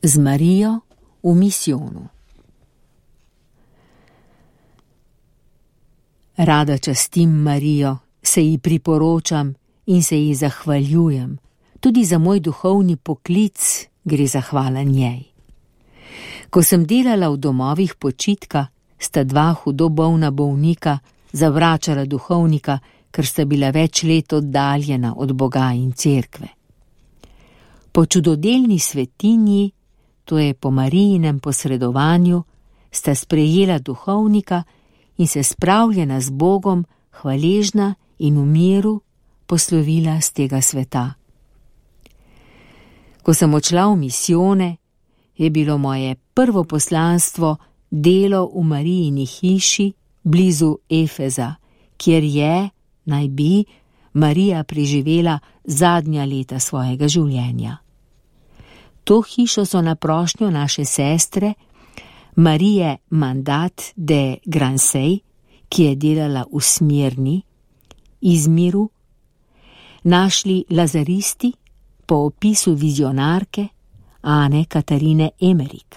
Z Marijo v misijonu. Rada častim Marijo, se ji priporočam in se ji zahvaljujem. Tudi za moj duhovni poklic gre zahvala njej. Ko sem delala v domovih počitka, sta dva hudo bolna bolnika zavračala duhovnika, ker sta bila več let oddaljena od Boga in cerkve. Po čudodelni svetinji, to je po Marijinem posredovanju, sta sprejela duhovnika in se spravljena z Bogom, hvaležna in v miru poslovila z tega sveta. Ko sem odšla v misijone, je bilo moje prvo poslanstvo delo v Marijini hiši blizu Efeza, kjer je, naj bi, Marija preživela zadnja leta svojega življenja. To hišo so na prošnjo naše sestre Marije Mandat de Gransey, ki je delala v Smirni, Izmiru, našli lazaristi po opisu vizionarke Ane Katarine Emerik.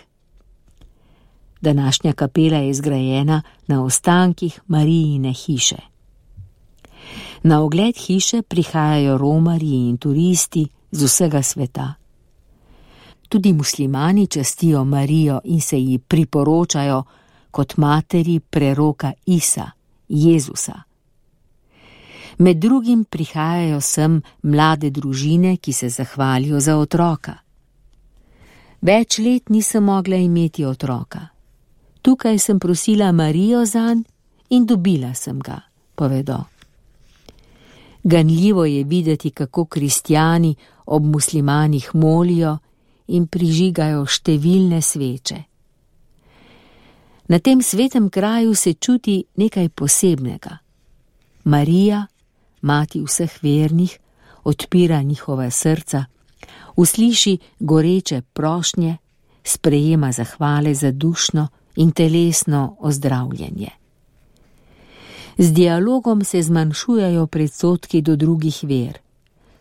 Današnja kapela je zgrajena na ostankih Marijine hiše. Na ogled hiše prihajajo romarji in turisti z vsega sveta. Tudi muslimani častijo Marijo in se ji priporočajo kot materi preroka Isa, Jezusa. Med drugim prihajajo sem mlade družine, ki se zahvalijo za otroka. Več let nisem mogla imeti otroka. Tukaj sem prosila Marijo zanj in dobila sem ga, povedo. Ganljivo je videti, kako kristjani ob muslimanih molijo in prižigajo številne sveče. Na tem svetem kraju se čuti nekaj posebnega. Marija, mati vseh vernih, odpira njihova srca, usliši goreče prošnje, sprejema zahvale za dušno in telesno ozdravljenje. Z dialogom se zmanjšujejo predsodki do drugih ver.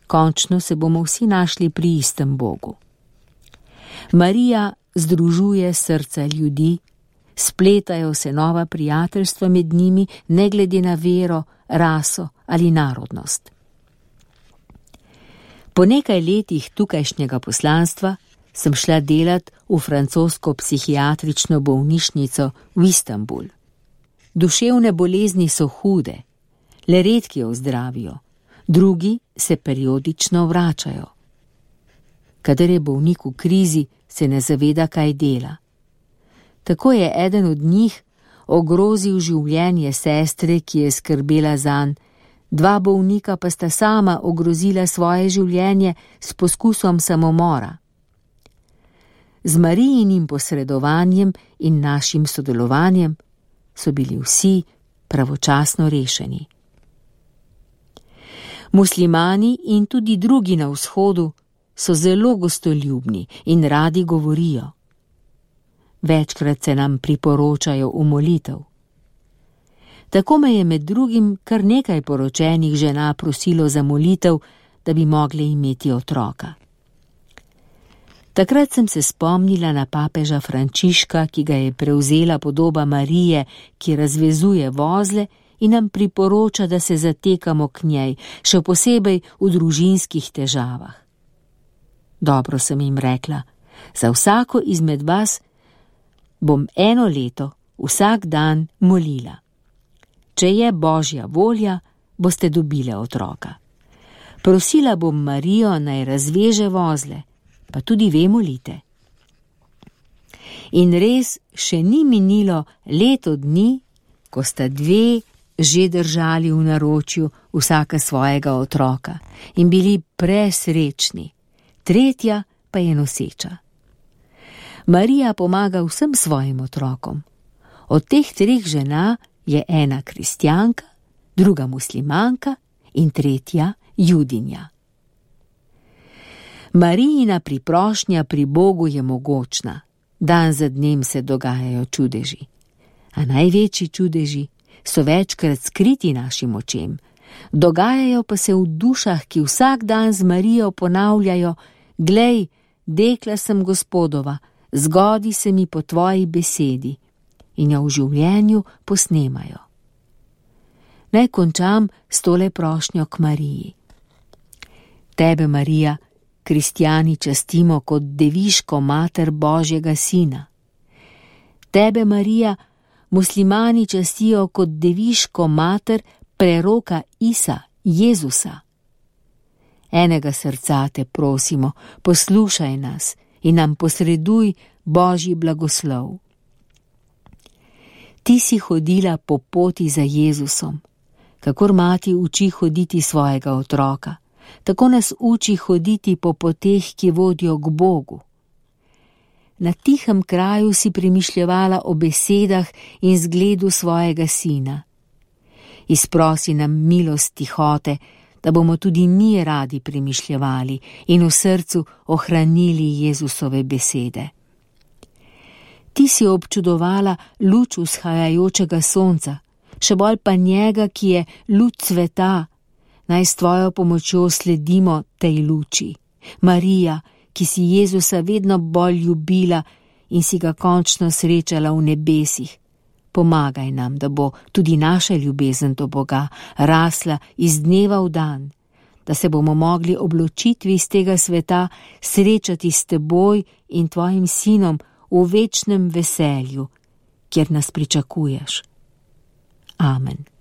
Končno se bomo vsi našli pri istem Bogu. Marija združuje srca ljudi, spletajo se nova prijateljstva med njimi, ne glede na vero, raso ali narodnost. Po nekaj letih tukajšnjega poslanstva sem šla delat v francosko psihiatrično bolnišnico v Istanbul. Duševne bolezni so hude, le redki ozdravijo, drugi se periodično vračajo. Kadar je bolnik v krizi, se ne zaveda, kaj dela. Tako je eden od njih ogrozil življenje sestre, ki je skrbela zanj, dva bolnika pa sta sama ogrozila svoje življenje s poskusom samomora. Z Marijinim posredovanjem in našim sodelovanjem so bili vsi pravočasno rešeni. Muslimani in tudi drugi na vzhodu so zelo gostoljubni in radi govorijo. Večkrat se nam priporočajo v molitev. Tako me je med drugim kar nekaj poročenih žena prosilo za molitev, da bi mogle imeti otroka. Takrat sem se spomnila na papeža Frančiška, ki ga je prevzela podoba Marije, ki razvezuje vozle in nam priporoča, da se zatekamo k njej, še posebej v družinskih težavah. Dobro, sem jim rekla, za vsako izmed vas bom 1 leto vsak dan molila. Če je Božja volja, boste dobile otroka. Prosila bom Marijo, naj razveže vozle, pa tudi ve molite. In res še ni minilo leto dni, ko sta dve že držali v naročju vsaka svojega otroka in bili presrečni, tretja pa je noseča. Marija pomaga vsem svojim otrokom. Od teh 3 žena je ena kristjanka, druga muslimanka in tretja judinja. Marijina priprošnja pri Bogu je mogočna, dan za dnem se dogajajo čudeži. A največji čudeži so večkrat skriti našim očem, dogajajo pa se v dušah, ki vsak dan z Marijo ponavljajo: glej, dekla sem Gospodova, zgodi se mi po tvoji besedi, in jo v življenju posnemajo. Naj končam s tole prošnjo k Mariji. Tebe, Marija, kristjani častimo kot deviško mater Božjega sina. Tebe, Marija, muslimani častijo kot deviško mater preroka Isa, Jezusa. Enega srca te prosimo, poslušaj nas in nam posreduj Božji blagoslov. Ti si hodila po poti za Jezusom, kakor mati uči hoditi svojega otroka, tako nas uči hoditi po poteh, ki vodijo k Bogu. Na tihem kraju si premišljevala o besedah in zgledu svojega sina. Izprosi nam milost tihote, da bomo tudi mi radi premišljevali in v srcu ohranili Jezusove besede. Ti si občudovala luč vzhajajočega sonca, še bolj pa njega, ki je luč sveta. Naj s tvojo pomočjo sledimo tej luči. Marija, ki si Jezusa vedno bolj ljubila in si ga končno srečala v nebesih, pomagaj nam, da bo tudi naša ljubezen do Boga rasla iz dneva v dan, da se bomo mogli ob ločitvi iz tega sveta srečati s teboj in tvojim sinom v večnem veselju, kjer nas pričakuješ. Amen.